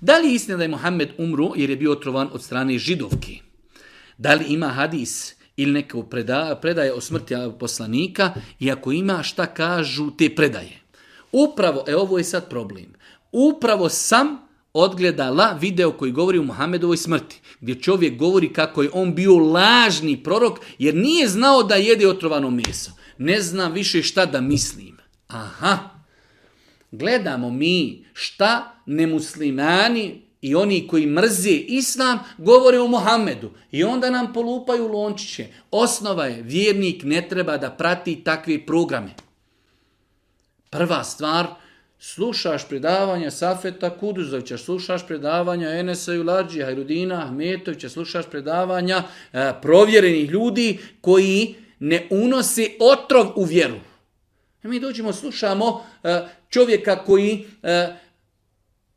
Da li je istina da je Muhammed umro jer je bio otrovan od strane židovki? Da li ima hadis ili neko predaje o smrti poslanika i ako ima šta kažu te predaje? Upravo, ovo je sad problem, upravo sam odgledala video koji govori o Muhammedovoj smrti, gdje čovjek govori kako je on bio lažni prorok jer nije znao da jede otrovano meso. Ne znam više šta da mislim. Aha, gledamo mi šta nemuslimani i oni koji mrze islam govore o Muhammedu i onda nam polupaju lončiće. Osnova je, vjernik ne treba da prati takve programe. Prva stvar, slušaš predavanja Safeta Kuduzovića, slušaš predavanja Enesa Juladžija, Hajrudina Ahmetovića, slušaš predavanja provjerenih ljudi koji ne unose otrov u vjeru. Mi dođemo, slušamo čovjeka koji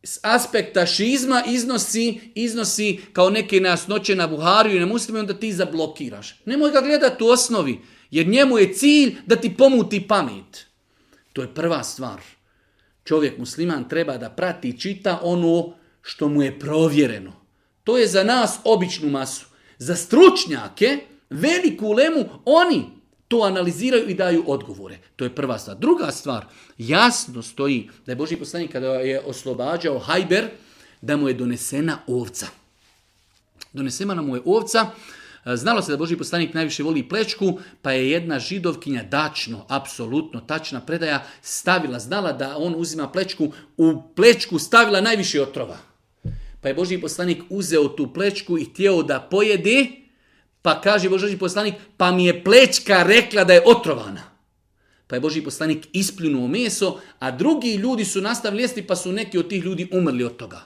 s aspekta šizma iznosi kao neke nejasnoće na Buhariju i na Muslima, onda ti zablokiraš. Nemoj ga gledati u osnovi, jer njemu je cilj da ti pomuti pamet. To je prva stvar. Čovjek musliman treba da prati i čita ono što mu je provjereno. To je za nas običnu masu. Za stručnjake, veliku ulemu, oni to analiziraju i daju odgovore. To je prva stvar. Druga stvar, jasno stoji da je Božji poslanik kada je oslobađao Hajber, da mu je donesena ovca. Donesena mu je ovca. Znalo se da Božji poslanik najviše voli plečku, pa je jedna židovkinja, dačno, apsolutno tačna predaja, znala da on uzima plečku, u plečku stavila najviše otrova. Pa je Božji poslanik uzeo tu plečku i htio da pojede, pa kaže Božji poslanik, pa mi je plečka rekla da je otrovana. Pa je Božji poslanik ispljunuo meso, a drugi ljudi su nastavili jesti, pa su neki od tih ljudi umrli od toga.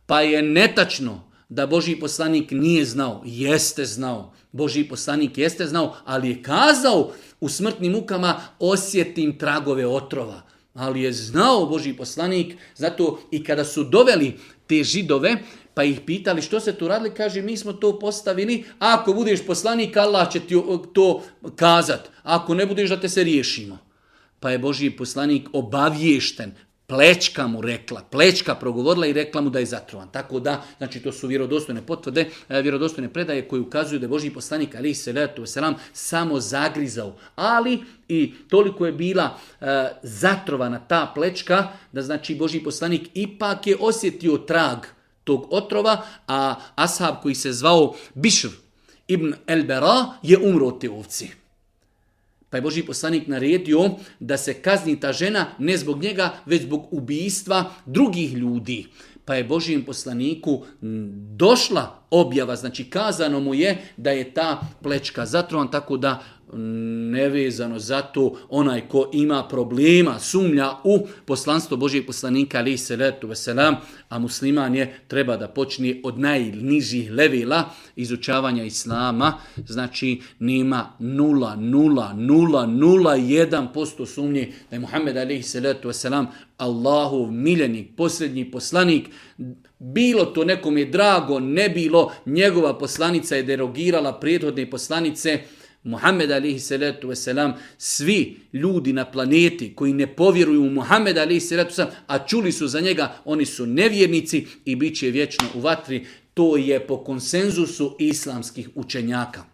Pa je netačno da Božji poslanik nije znao. Jeste znao. Božji poslanik jeste znao, ali je kazao u smrtnim mukama osjetim tragove otrova. Ali je znao Božji poslanik, zato i kada su doveli te židove, pa ih pitali što se tu radili, kaže mi smo to postavili, ako budeš poslanik Allah će ti to kazat, ako ne budeš da te se riješimo. Pa je Božji poslanik obaviješten, plečka mu rekla, plečka progovorila i rekla mu da je zatrovan. Tako da, znači to su vjerodostojne potvrde, vjerodostojne predaje koje ukazuju da je Božji poslanik alejhi selatu vesselam samo zagrizao. Ali i toliko je bila zatrovana ta plečka da znači Božji poslanik ipak je osjetio trag tog otrova, a ashab koji se zvao Bišr ibn el-Bera je umro od te ovci. Pa je Božji poslanik naredio da se kazni ta žena ne zbog njega, već zbog ubijstva drugih ljudi. Pa je Božjem poslaniku došla objava, znači kazano mu je da je ta plečka zatrovan, tako da nevezano za to onaj ko ima problema, sumnja u poslanstvo Božjeg poslanika alejhi selatu vesselam, a musliman je treba da počne od najnižih levela izučavanja islama, znači nema 0,0001% sumnje da je Muhammed alejhi selatu vesselam Allahov miljenik, posljednji poslanik. Bilo to nekom je drago, ne bilo, njegova poslanica je derogirala prethodne poslanice. Muhammed alejhi salatu vesselam, svi ljudi na planeti koji ne povjeruju u Muhammed alejhi salatu vesselam, a čuli su za njega, oni su nevjernici i bit će vječno u vatri. To je po konsenzusu islamskih učenjaka.